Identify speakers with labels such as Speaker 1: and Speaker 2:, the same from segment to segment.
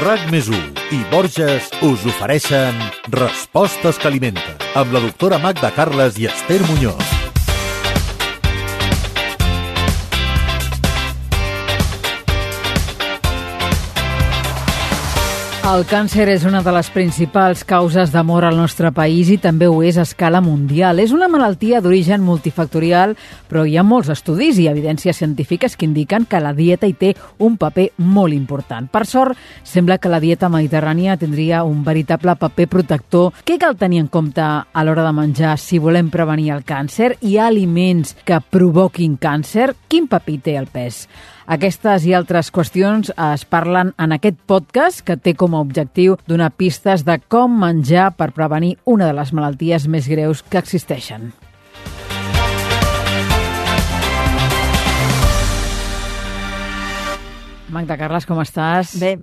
Speaker 1: RAC+1 i Borges us ofereixen Respostes que alimenten, amb la doctora Magda Carles i Esther Muñoz.
Speaker 2: El càncer és una de les principals causes de mort al nostre país i també ho és a escala mundial. És una malaltia d'origen multifactorial, però hi ha molts estudis i evidències científiques que indiquen que la dieta hi té un paper molt important. Per sort, sembla que la dieta mediterrània tindria un veritable paper protector. Què cal tenir en compte a l'hora de menjar si volem prevenir el càncer? Hi ha aliments que provoquin càncer? Quin paper té el pes? Aquestes i altres qüestions es parlen en aquest podcast que té com a objectiu donar pistes de com menjar per prevenir una de les malalties més greus que existeixen. Magda Carles, com estàs?
Speaker 3: Bé.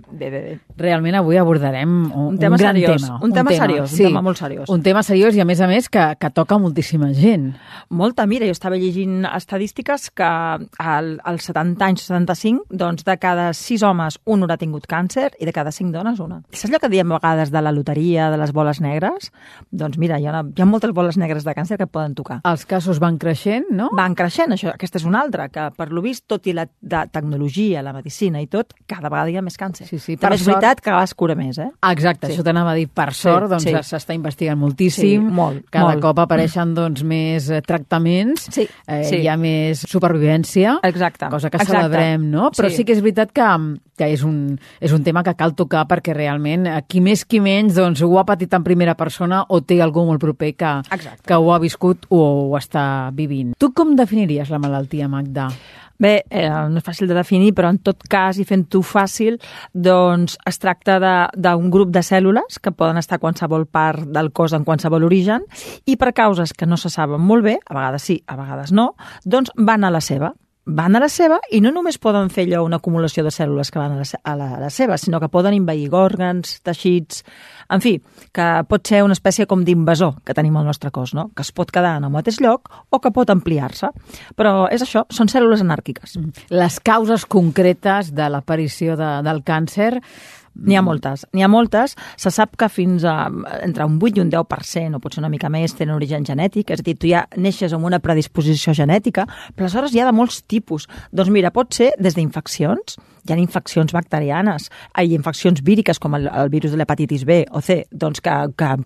Speaker 2: Realment avui abordarem un
Speaker 3: tema
Speaker 2: gran
Speaker 3: seriós,
Speaker 2: tema.
Speaker 3: Un tema seriós,
Speaker 2: sí,
Speaker 3: un tema molt seriós.
Speaker 2: Un tema seriós i, a més, que toca moltíssima gent.
Speaker 3: Molta, mira, jo estava llegint estadístiques que als 70 anys, 75, doncs de cada 6 homes un haurà tingut càncer i de cada 5 dones una. Saps allò que diem a vegades de la loteria, de les boles negres? Doncs mira, hi ha moltes boles negres de càncer que et poden tocar.
Speaker 2: Els casos van creixent, no?
Speaker 3: Van creixent, això. Aquesta és una altra, que per lo vist, tot i la tecnologia, la medicina i tot, cada vegada hi ha més càncer.
Speaker 2: Sí,
Speaker 3: també és veritat que cada vegada es cura més, eh?
Speaker 2: Exacte, això t'anava a dir. Per sort, s'està investigant moltíssim.
Speaker 3: Sí, molt.
Speaker 2: Cada cop apareixen més tractaments, hi ha més supervivència.
Speaker 3: Exacte.
Speaker 2: Cosa que celebrem, no? Però sí que és veritat que és un tema que cal tocar perquè realment qui més qui menys doncs, ho ha patit en primera persona o té algú molt proper que ho ha viscut o ho està vivint. Tu com definiries la malaltia, Magda?
Speaker 3: Bé, no és fàcil de definir, però en tot cas, i fent-ho fàcil, doncs es tracta d'un grup de cèl·lules que poden estar a qualsevol part del cos en qualsevol origen i per causes que no se saben molt bé, a vegades sí, a vegades no, doncs van a la seva. Van a la seva i no només poden fer allò una acumulació de cèl·lules que van a la seva, sinó que poden envair òrgans, teixits, en fi, que pot ser una espècie com d'invasor que tenim al nostre cos, no? Que es pot quedar en el mateix lloc o que pot ampliar-se. Però és això, són cèl·lules anàrquiques.
Speaker 2: Les causes concretes de l'aparició del càncer...
Speaker 3: N'hi ha moltes. Se sap que fins a entre un 8 i un 10%, o potser una mica més, tenen origen genètic, és a dir, tu ja neixes amb una predisposició genètica, però aleshores hi ha de molts tipus. Doncs mira, pot ser des d'infeccions, hi ha infeccions bacterianes, hi ha infeccions víriques com el virus de l'hepatitis B o C, doncs que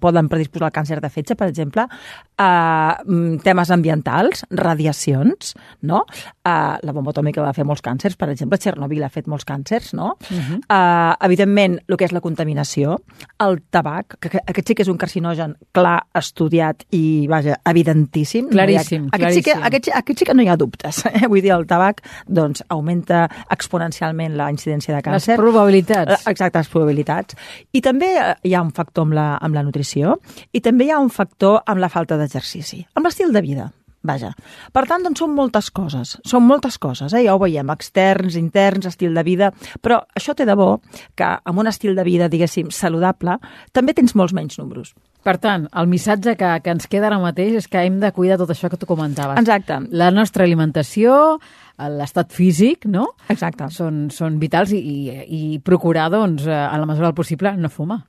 Speaker 3: poden predisposar al càncer de fetge, per exemple, temes ambientals, radiacions, no? La bomba atòmica va fer molts càncers, per exemple, Chernobyl ha fet molts càncers, no? Evidentment, el que és la contaminació, el tabac, que aquest sí que és un carcinogen clar, estudiat i, vaja, evidentíssim.
Speaker 2: Claríssim.
Speaker 3: Aquest sí que no hi ha dubtes. Vull dir, el tabac, doncs, augmenta exponencialment la incidència de càncer.
Speaker 2: Les probabilitats.
Speaker 3: Exacte, les probabilitats. I també hi ha un factor amb la nutrició i també hi ha un factor amb la falta d'exercici, amb l'estil de vida. Vaja. Per tant, doncs són moltes coses, ja ho veiem, externs, interns, estil de vida, però això té de bo que amb un estil de vida, diguéssim, saludable, també tens molts menys números.
Speaker 2: Per tant, el missatge que ens queda ara mateix és que hem de cuidar tot això que tu comentaves.
Speaker 3: Exacte.
Speaker 2: La nostra alimentació, l'estat físic, no?
Speaker 3: Exacte.
Speaker 2: Són vitals i procurar, doncs, a la mesura del possible, no fumar.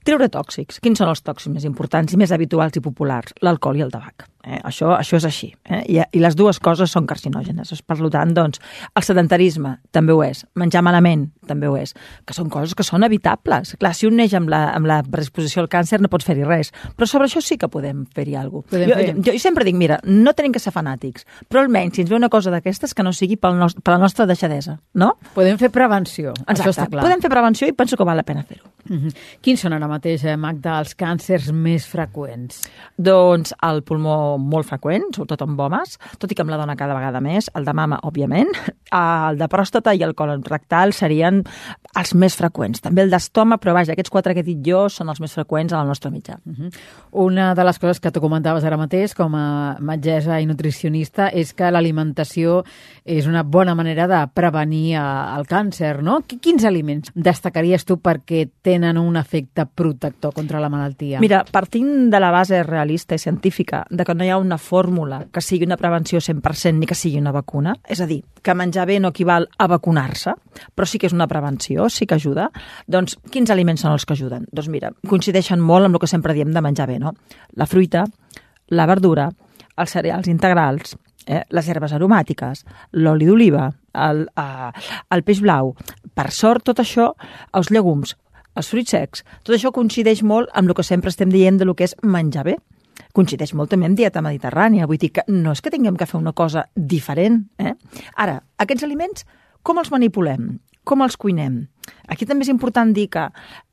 Speaker 3: Treure tòxics. Quins són els tòxics més importants i més habituals i populars? L'alcohol i el tabac. Això és així. I les dues coses són carcinògenes. Per tant, doncs, el sedentarisme també ho és. Menjar malament també ho és. Que són coses que són evitables. Clar, si un neix amb la predisposició al càncer no pots fer-hi res. Però sobre això sí que podem fer-hi alguna cosa. Jo sempre dic, mira, no tenim que ser fanàtics, però almenys si ens ve una cosa d'aquestes que no sigui per la nostra deixadesa, no?
Speaker 2: Podem fer prevenció.
Speaker 3: Exacte.
Speaker 2: Això està clar.
Speaker 3: Podem fer prevenció i penso que val la pena fer-ho.
Speaker 2: Quins són ara mateix, Magda, els càncers més freqüents?
Speaker 3: Doncs el pulmó molt freqüent, sobretot amb homes, tot i que amb la dona cada vegada més, el de mama, òbviament, el de pròstata i el colon rectal serien els més freqüents. També el d'estoma, però vaja, aquests 4 que he dit jo són els més freqüents a la nostra mitjà.
Speaker 2: Una de les coses que tu comentaves ara mateix, com a metgessa i nutricionista, és que l'alimentació és una bona manera de prevenir el càncer, no? Quins aliments destacaries tu perquè tenen un efecte protector contra la malaltia?
Speaker 3: Mira, partint de la base realista i científica de que no hi ha una fórmula que sigui una prevenció 100% ni que sigui una vacuna, és a dir, que menjar bé no equival a vacunar-se, però sí que és una prevenció, sí que ajuda, doncs quins aliments són els que ajuden? Doncs mira, coincideixen molt amb el que sempre diem de menjar bé, no? La fruita, la verdura, els cereals integrals, les herbes aromàtiques, l'oli d'oliva, el peix blau. Per sort, tot això, els llegums, els fruits secs, tot això coincideix molt amb el que sempre estem dient de lo que és menjar bé. Coincideix molt també amb dieta mediterrània, vull dir que no és que tinguem que fer una cosa diferent. Ara, aquests aliments, com els manipulem? Com els cuinem? Aquí també és important dir que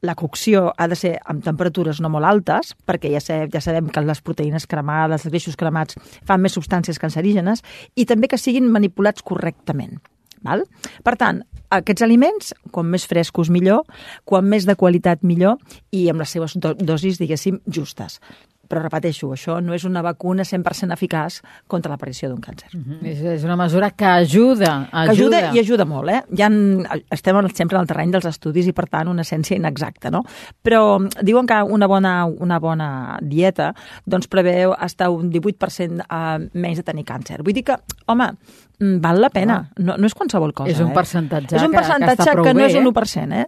Speaker 3: la cocció ha de ser amb temperatures no molt altes, perquè ja sabem que les proteïnes cremades, els greixos cremats fan més substàncies cancerígenes, i també que siguin manipulats correctament. Val? Per tant, aquests aliments, com més frescos millor, quan més de qualitat millor, i amb les seves dosis, diguéssim, justes. Però repeteixo, això no és una vacuna 100% eficaç contra l'aparició d'un càncer.
Speaker 2: És una mesura que ajuda.
Speaker 3: Que ajuda i ajuda molt, estem sempre en el terreny dels estudis i, per tant, una ciència inexacta, no? Però diuen que una bona dieta doncs preveu estar un 18% menys de tenir càncer. Vull dir que, home, val la pena. No és qualsevol cosa.
Speaker 2: És un percentatge
Speaker 3: és un percentatge que no és un 1%.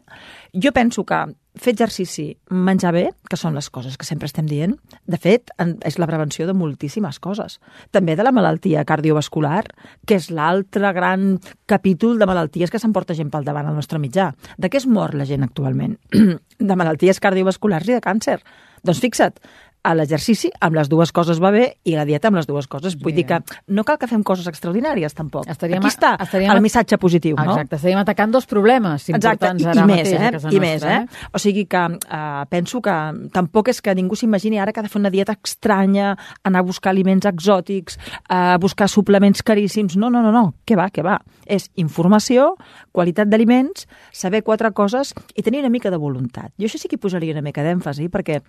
Speaker 3: Jo penso que fer exercici, menjar bé, que són les coses que sempre estem dient, de fet, és la prevenció de moltíssimes coses. També de la malaltia cardiovascular, que és l'altre gran capítol de malalties que s'emporta gent pel davant al nostre mitjà. De què es mor la gent actualment? De malalties cardiovasculars i de càncer. Doncs fixa't, a l'exercici amb les dues coses va bé i la dieta amb les dues coses. Vull dir que no cal que fem coses extraordinàries, tampoc. Aquí està el missatge positiu, no?
Speaker 2: Exacte, estaríem atacant dos problemes importants ara mateix a casa nostra.
Speaker 3: O sigui que penso que tampoc és que ningú s'imagini ara que ha de fer una dieta estranya, anar a buscar aliments exòtics, a buscar suplements caríssims. No. Què va? És informació, qualitat d'aliments, saber 4 coses i tenir una mica de voluntat. Jo això sí que hi posaria una mica d'èmfasi, perquè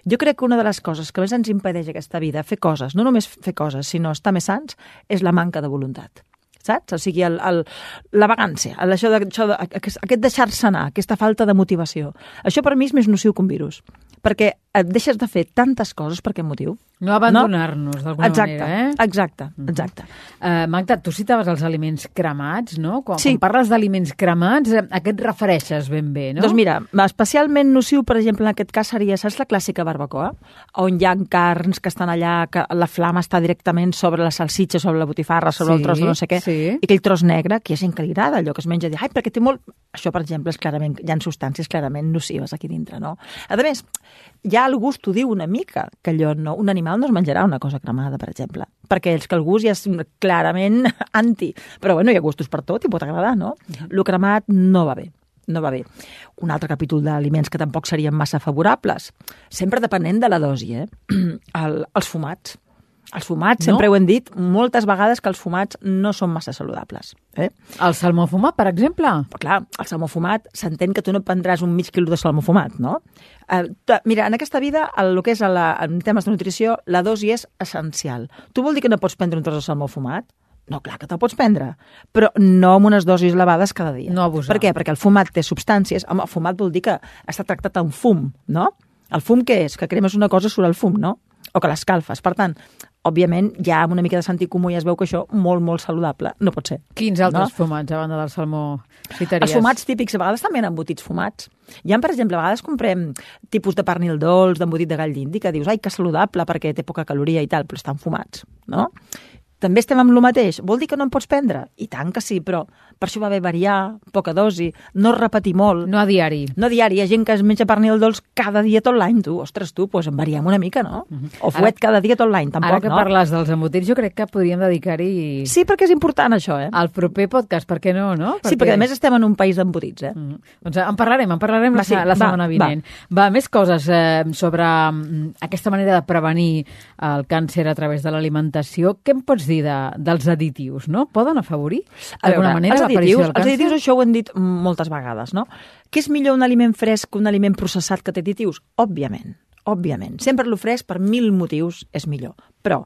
Speaker 3: jo crec que una de les coses que més ens impedeix aquesta vida, fer coses, no només fer coses, sinó estar més sants, és la manca de voluntat. Saps? O sigui, la vagància, aquest deixar-se anar, aquesta falta de motivació. Això per mi és més nociu que un virus, perquè et deixes de fer tantes coses per aquest motiu.
Speaker 2: No abandonar-nos, d'alguna manera,
Speaker 3: Exacte.
Speaker 2: Magda, tu citaves els aliments cremats, no? Quan parles d'aliments cremats, a què et refereixes ben bé, no?
Speaker 3: Doncs mira, especialment nociu, per exemple, en aquest cas seria, saps la clàssica barbacoa? On hi ha carns que estan allà, que la flama està directament sobre la salsitxa, sobre la botifarra, sobre el tros de no sé què, i aquell tros negre, que hi ha gent que li agrada, allò que es menja, dir, perquè té molt... Això, per exemple, és clarament, hi ha substàncies clarament nocives aquí dintre, no? A més, ja el gust t'ho diu una mica, que allò no... Un animal no es menjarà una cosa cremada, per exemple, perquè és que el gust ja és clarament anti. Però, bueno, hi ha gustos per tot i pot agradar, no? Lo cremat no va bé. Un altre capítol d'aliments que tampoc serien massa favorables, sempre depenent de la dosi, els fumats. Els fumats, sempre ho hem dit moltes vegades que els fumats no són massa saludables.
Speaker 2: El salmó fumat, per exemple?
Speaker 3: Però clar, el salmó fumat, s'entén que tu no prendràs un mig quilo de salmó fumat, no? Mira, en aquesta vida, el que és en temes de nutrició, la dosi és essencial. Tu vol dir que no pots prendre un tros de salmó fumat? No, clar que te'l pots prendre, però no amb unes dosis elevades cada dia.
Speaker 2: No abusar.
Speaker 3: Per què? Perquè el fumat té substàncies. Home, el fumat vol dir que està tractat amb fum, no? El fum què és? Que cremes una cosa surt el fum, no? O que l'escalfes. Per tant, òbviament, ja amb una mica de sentit comú ja es veu que això molt, molt saludable no pot ser.
Speaker 2: Quins altres fumats, a banda del salmó, citaries?
Speaker 3: Els fumats típics, a vegades també hi ha embotits fumats. Hi ha, per exemple, a vegades comprem tipus de pernil dolç, d'embotit de gall d'indi, que dius, ai, que saludable, perquè té poca caloria i tal, però estan fumats, no? També estem amb el mateix. Vol dir que no en pots prendre? I tant que sí, però per això va bé variar, poca dosi, no repetir molt.
Speaker 2: No a diari.
Speaker 3: No a diari. Hi ha gent que es menja pernil dolç cada dia tot l'any, tu. Ostres, tu, doncs en variem una mica, no? O fuet cada dia tot l'any, tampoc, no?
Speaker 2: Ara que parles dels embotits, jo crec que podríem dedicar-hi...
Speaker 3: Sí, perquè és important, això,
Speaker 2: Al proper podcast, per què no, no?
Speaker 3: Sí, perquè a més estem en un país d'embotits,
Speaker 2: Doncs en parlarem la setmana vinent. Va, més coses sobre aquesta manera de prevenir el càncer a través de l'alimentació. Què em pots dir dels additius, no? Poden afavorir d'alguna manera l'aparició del càncer?
Speaker 3: Els additius, això ho hem dit moltes vegades, no? Què és millor un aliment fresc que un aliment processat que té additius? Òbviament. Sempre el fresc per 1000 motius és millor. Però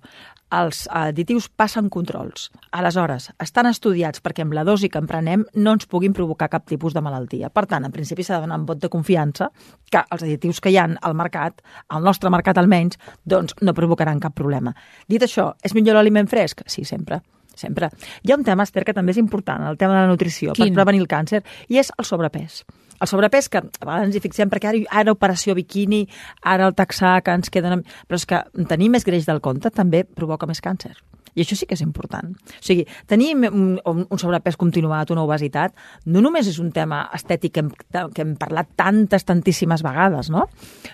Speaker 3: els additius passen controls. Aleshores, estan estudiats perquè amb la dosi que emprenem no ens puguin provocar cap tipus de malaltia. Per tant, en principi s'ha de donar un vot de confiança que els additius que hi ha al mercat, al nostre mercat almenys, doncs no provocaran cap problema. Dit això, és millor l'aliment fresc? Sí, sempre. Sempre. Hi ha un tema, Esther, que també és important, el tema de la nutrició, per prevenir el càncer, i és el sobrepès. El sobrepès, que a vegades ens hi fixem, perquè ara operació biquini, ara el taxar, que ens queden... Però és que tenir més greix del compte també provoca més càncer. I això sí que és important. O sigui, tenir un sobrepès continuat, una obesitat, no només és un tema estètic que hem parlat tantíssimes vegades, no?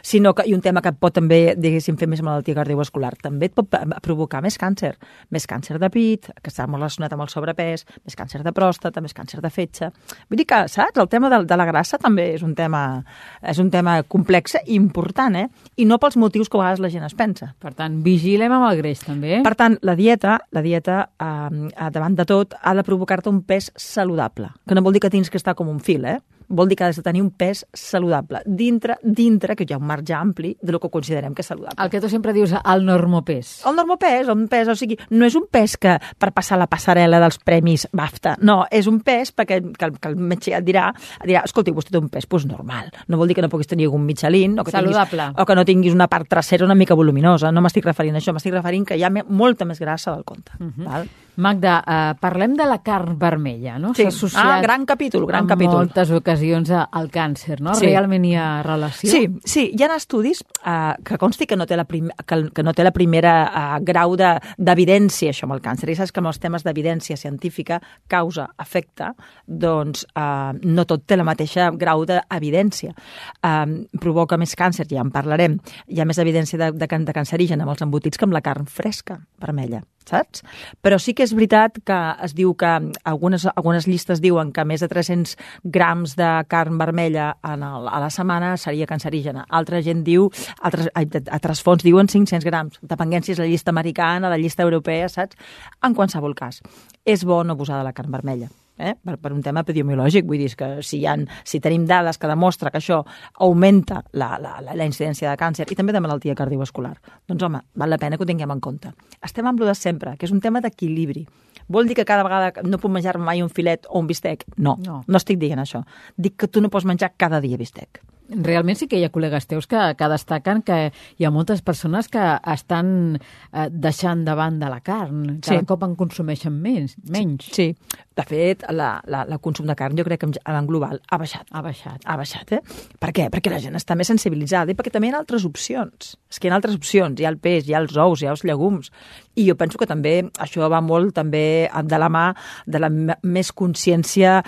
Speaker 3: Sinó que, i un tema que pot també, diguéssim, fer més malaltia cardiovascular, també et pot provocar més càncer. Més càncer de pit, que està molt relacionat amb el sobrepès, més càncer de pròstata, més càncer de fetge. Vull dir que, saps, el tema de la grassa també és un tema complex i important, I no pels motius que a vegades la gent es pensa.
Speaker 2: Per tant, vigilem amb el greix, també.
Speaker 3: Per tant, la dieta, davant de tot, ha de provocar-te un pes saludable, que no vol dir que tens que estar com un fil, Vol dir que has de tenir un pes saludable, dintre que hi ha un marge ampli del que considerem que és saludable.
Speaker 2: El que tu sempre dius, el normopès.
Speaker 3: El normopès, o sigui, no és un pes que per passar la passarel·la dels premis BAFTA, no, és un pes perquè el metge et dirà, escolti, vostè té un pes normal, no vol dir que no puguis tenir un Michelin, o que no tinguis una part trasera una mica voluminosa, no m'estic referint a això, m'estic referint que hi ha molta més grassa del compte. Val?
Speaker 2: Magda, parlem de la carn vermella, no?
Speaker 3: Sí, gran capítol.
Speaker 2: Moltes ocasions al càncer, no?
Speaker 3: Sí.
Speaker 2: Realment hi ha relació?
Speaker 3: Sí, hi ha estudis que consti que no té la primera grau d'evidència, això amb el càncer. I saps que amb els temes d'evidència científica, causa, efecte, doncs no tot té la mateixa grau d'evidència. Provoca més càncer, ja en parlarem. Hi ha més evidència de cancerigen amb els embotits que amb la carn fresca, vermella, saps? Però sí que és veritat que es diu que algunes llistes diuen que més de 300 grams de carn vermella a la setmana seria cancerígena. Altra gent diu, altres fonts diuen 500 grams, depenent si és la llista americana, la llista europea, saps? En qualsevol cas, és bo no abusar de la carn vermella. Per un tema epidemiològic, vull dir que si tenim dades que demostra que això augmenta la incidència de càncer i també de malaltia cardiovascular, doncs home, val la pena que ho tinguem en compte. Estem amb lo de sempre, que és un tema d'equilibri. Vol dir que cada vegada no puc menjar mai un filet o un bistec? No estic dient això. Dic que tu no pots menjar cada dia bistec.
Speaker 2: Realment sí que hi ha col·legues teus que destaquen que hi ha moltes persones que estan deixant de banda la carn. Cada cop en consumeixen menys.
Speaker 3: Sí. De fet, el consum de carn jo crec que en global ha baixat. Ha baixat, Per què? Perquè la gent està més sensibilitzada i perquè també hi ha altres opcions. És que hi ha altres opcions. Hi ha el peix, hi ha els ous, hi ha els llegums. I jo penso que també això va molt també de la mà de la més consciència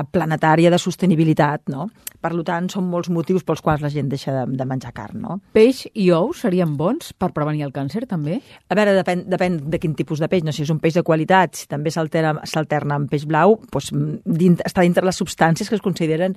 Speaker 3: planetària de sostenibilitat, no? Per tant, són molts motius pels quals la gent deixa de menjar carn, no?
Speaker 2: Peix i ous serien bons per prevenir el càncer, també?
Speaker 3: A veure, depèn de quin tipus de peix. No sé si és un peix de qualitat, si també s'alterna amb peix blau, doncs està dintre les substàncies que es consideren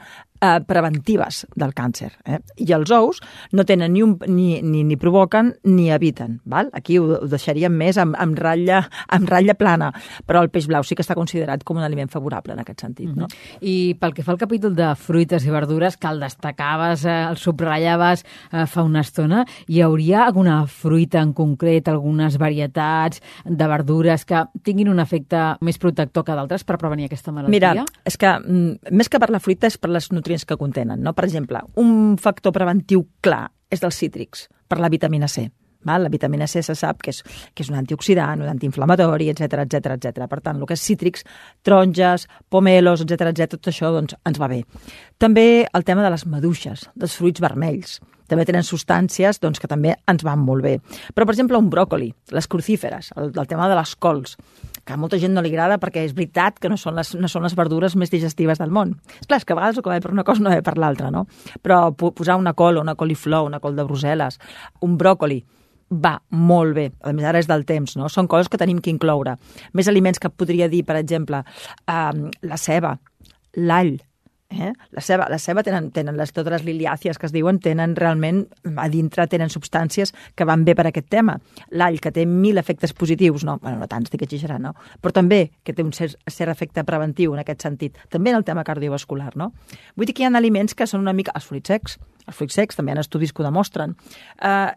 Speaker 3: preventives del càncer. I els ous no tenen ni provoquen ni eviten. Val? Aquí ho deixaríem més amb ratlla plana, però el peix blau sí que està considerat com un aliment favorable en aquest sentit. No?
Speaker 2: I pel que fa al capítol de fruites i verdures, que el destacaves, el subratllaves fa una estona, hi hauria alguna fruita en concret, algunes varietats de verdures que tinguin un efecte més protector que d'altres per prevenir aquesta malaltia?
Speaker 3: Mira, és que més que per la fruita és per les nutrients que contenen, no? Per exemple, un factor preventiu clar és dels cítrics, per la vitamina C. Val? La vitamina C se sap que és un antioxidant, un antiinflamatori, etc. Per tant, el que és cítrics, taronges, pomelos, etc., tot això doncs, ens va bé. També el tema de les maduixes, dels fruits vermells. També tenen substàncies doncs, que també ens van molt bé. Però, per exemple, un bròcoli, les crucíferes, el tema de les cols, que a molta gent no li agrada perquè és veritat que no són les verdures més digestives del món. És clar, és que a vegades el que va bé per una cosa no va bé per l'altra, no? Però posar una col, una coliflor, una col de Brussel·les, un bròcoli, va molt bé. A més, ara és del temps, no? Són coses que tenim que incloure. Més aliments que podria dir, per exemple, la ceba, l'all. La ceba tenen totes les liliàcies que es diuen, tenen realment, a dintre tenen substàncies que van bé per aquest tema. L'all, que té 1000 efectes positius, no tant, estic exagerant, no? Però també que té un cert efecte preventiu en aquest sentit, també en el tema cardiovascular, no? Vull dir que hi ha aliments que són una mica... Els fruits secs també hi ha estudis que ho demostren.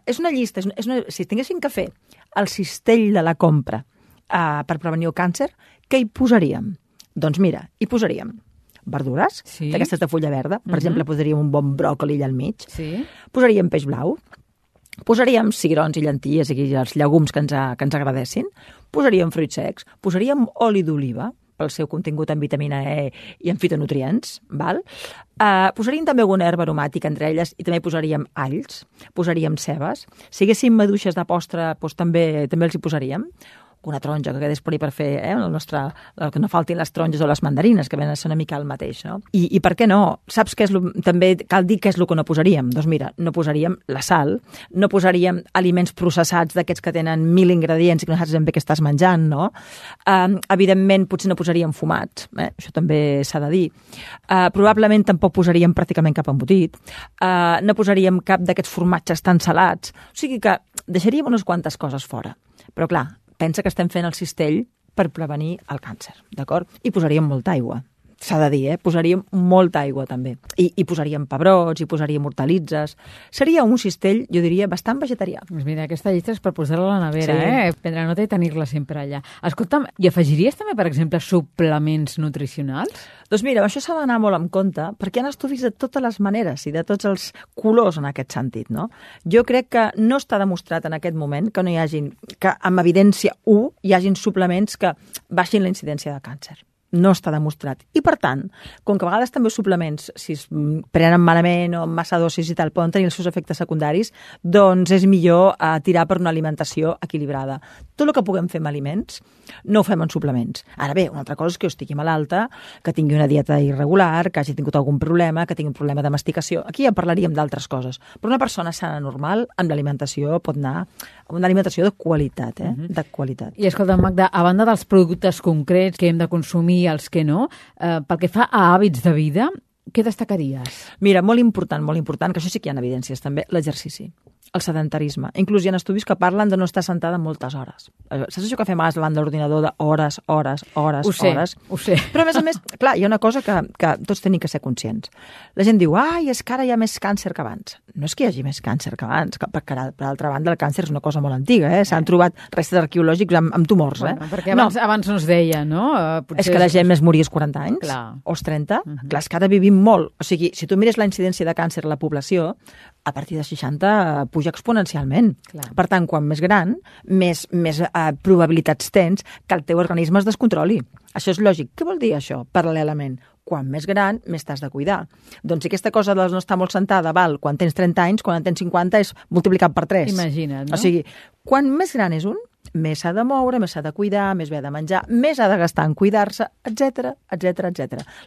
Speaker 3: És una llista, si tinguéssim que fer al cistell de la compra per prevenir el càncer, què hi posaríem? Doncs mira, hi posaríem verdures, d'aquestes de fulla verda. Per exemple, posaríem un bon bròcoli allà al mig. Posaríem peix blau. Posaríem cigrons i llenties i els llegums que ens agradessin. Posaríem fruits secs. Posaríem oli d'oliva pel seu contingut en vitamina E i en fitonutrients. Val? Posaríem també alguna herba aromàtica entre elles i també posaríem alls, posaríem cebes. Si haguéssim maduixes de postre, doncs també els hi posaríem. Una taronja que quedés per ahí per fer que no faltin les taronges o les mandarines, que venen a ser una mica el mateix, no? I per què no? Saps què és també cal dir què és el que no posaríem? Doncs mira, no posaríem la sal, no posaríem aliments processats d'aquests que tenen 1.000 ingredients i que no saps ben bé què estàs menjant, no? Evidentment, potser no posaríem fumats, això també s'ha de dir. Probablement tampoc posaríem pràcticament cap embotit, no posaríem cap d'aquests formatges tan salats, o sigui que deixaríem unes quantes coses fora. Però clar, pensa que estem fent el cistell per prevenir el càncer, d'acord? I posaríem molta aigua. S'ha de dir, posaríem molta aigua també. I posaríem pebrots, i posaríem hortalitzes. Seria un cistell, jo diria, bastant vegetarià.
Speaker 2: Doncs mira, aquesta llista és per posar-la a la nevera, prendre nota i tenir-la sempre allà. Escolta'm, i afegiries també, per exemple, suplements nutricionals?
Speaker 3: Doncs mira, això s'ha d'anar molt en compte, perquè hi ha estudis de totes les maneres i de tots els colors en aquest sentit, no? Jo crec que no està demostrat en aquest moment que no hi hagin, que amb evidència 1 hi hagin suplements que baixin la incidència de càncer. No està demostrat. I, per tant, com que a vegades també els suplements, si es prenen malament o amb massa dosis i tal, poden tenir els seus efectes secundaris, doncs és millor tirar per una alimentació equilibrada. Tot el que puguem fer amb aliments, no ho fem en suplements. Ara bé, una altra cosa és que jo estigui malalta, que tingui una dieta irregular, que hagi tingut algun problema, que tingui un problema de masticació. Aquí ja parlaríem d'altres coses. Però una persona sana normal, amb l'alimentació, pot anar amb una alimentació de qualitat, de qualitat.
Speaker 2: I escolta, Magda, a banda dels productes concrets que hem de consumir i els que no, pel que fa a hàbits de vida, què destacaries?
Speaker 3: Mira, molt important, que això sí que hi ha evidències també, l'exercici, el sedentarisme. Inclús hi ha estudis que parlen de no estar sentada moltes hores. Saps això que fem davant de l'ordinador d'hores, hores?
Speaker 2: Ho sé.
Speaker 3: Però a més, clar, hi ha una cosa que tots tenim que ser conscients. La gent diu, és que ara hi ha més càncer que abans. No és que hi hagi més càncer que abans, perquè per altra banda el càncer és una cosa molt antiga, s'han trobat restes arqueològics amb tumors.
Speaker 2: Bueno, perquè abans no es deia, no?
Speaker 3: És que la gent es moria als 40 anys, o als 30. Clar, és que ara vivim molt. O sigui, si tu mires la incidència de càncer a la població, a partir de 60 puja exponencialment.
Speaker 2: Clar.
Speaker 3: Per tant, quan més gran, més probabilitats tens que el teu organisme es descontroli. Això és lògic. Què vol dir això, paral·lelament? Quan més gran, més t'has de cuidar. Doncs si aquesta cosa de no estar molt sentada val quan tens 30 anys, quan en tens 50 és multiplicat per 3.
Speaker 2: Imagina't, no?
Speaker 3: O sigui, quan més gran és un, més s'ha de moure, més s'ha de cuidar, més bé ha de menjar, més ha de gastar en cuidar-se, etc.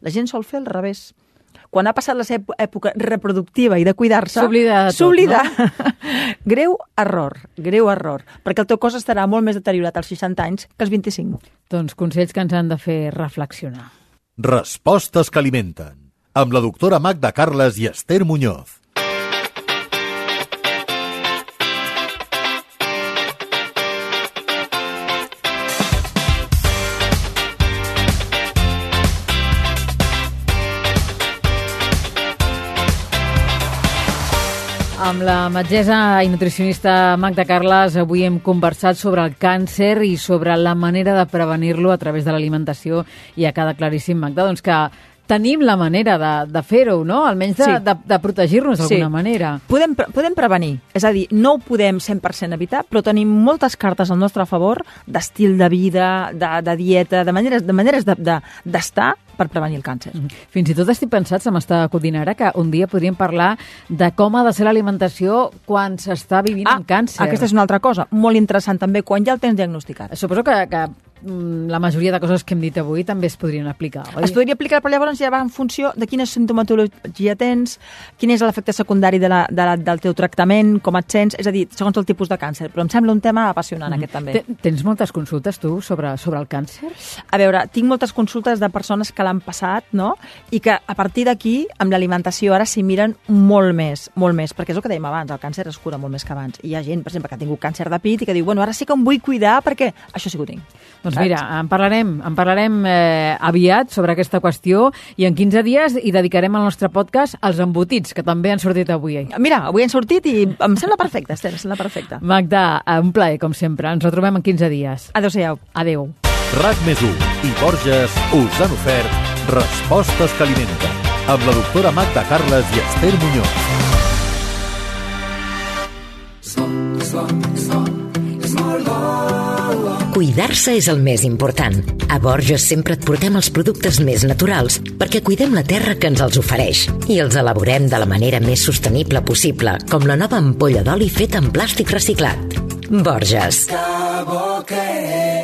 Speaker 3: La gent sol fer al revés. Quan ha passat la seva època reproductiva i de cuidar-se,
Speaker 2: s'oblida de tot, no?
Speaker 3: Greu error, perquè el teu cos estarà molt més deteriorat als 60 anys que als 25.
Speaker 2: Doncs consells que ens han de fer reflexionar.
Speaker 1: Respostes que alimenten, amb la doctora Magda Carles i Esther Muñoz.
Speaker 2: Amb la metgessa i nutricionista Magda Carles avui hem conversat sobre el càncer i sobre la manera de prevenir-lo a través de l'alimentació i ha quedat claríssim, Magda, doncs que tenim la manera de fer-ho, no? Almenys de protegir-nos d'alguna manera.
Speaker 3: Podem prevenir, és a dir, no ho podem 100% evitar, però tenim moltes cartes al nostre favor d'estil de vida, de dieta, de maneres d'estar per prevenir el càncer.
Speaker 2: Fins i tot estic pensat, se m'està acudint ara, que un dia podríem parlar de com ha de ser l'alimentació quan s'està vivint amb càncer.
Speaker 3: Aquesta és una altra cosa, molt interessant també, quan ja el tens diagnosticat.
Speaker 2: Suposo que la majoria de coses que hem dit avui també es podrien aplicar, oi?
Speaker 3: Es podria aplicar, però llavors ja va en funció de quina sintomatologia tens, quin és l'efecte secundari del teu tractament, com et sents, és a dir, segons el tipus de càncer. Però em sembla un tema apassionant, aquest també.
Speaker 2: Tens moltes consultes, tu, sobre el càncer?
Speaker 3: A veure, tinc moltes consultes de persones que l'han passat, no? I que a partir d'aquí, amb l'alimentació, ara s'hi miren molt més, perquè és el que dèiem abans, el càncer es cura molt més que abans. I hi ha gent, per exemple, que ha tingut càncer de pit i que diu, bueno, ara sí que em vull cuidar perquè això sí que ho tinc.
Speaker 2: Doncs mira, en parlarem aviat sobre aquesta qüestió i en 15 dies hi dedicarem al nostre podcast als embotits, que també han sortit avui.
Speaker 3: Mira, avui han sortit i em sembla perfecte, Esther, em sembla perfecte.
Speaker 2: Magda, un plaer, com sempre. Ens retrobem en 15 dies.
Speaker 3: Adéu-siau.
Speaker 2: Adéu.
Speaker 1: RAC+1 i Borges us han ofert Respostes que alimenten, amb la doctora Magda Carles i Esther Muñoz.
Speaker 4: Cuidar-se és el més important. A Borges sempre et portem els productes més naturals perquè cuidem la terra que ens els ofereix i els elaborem de la manera més sostenible possible, com la nova ampolla d'oli feta en plàstic reciclat. Borges. Que bo que és.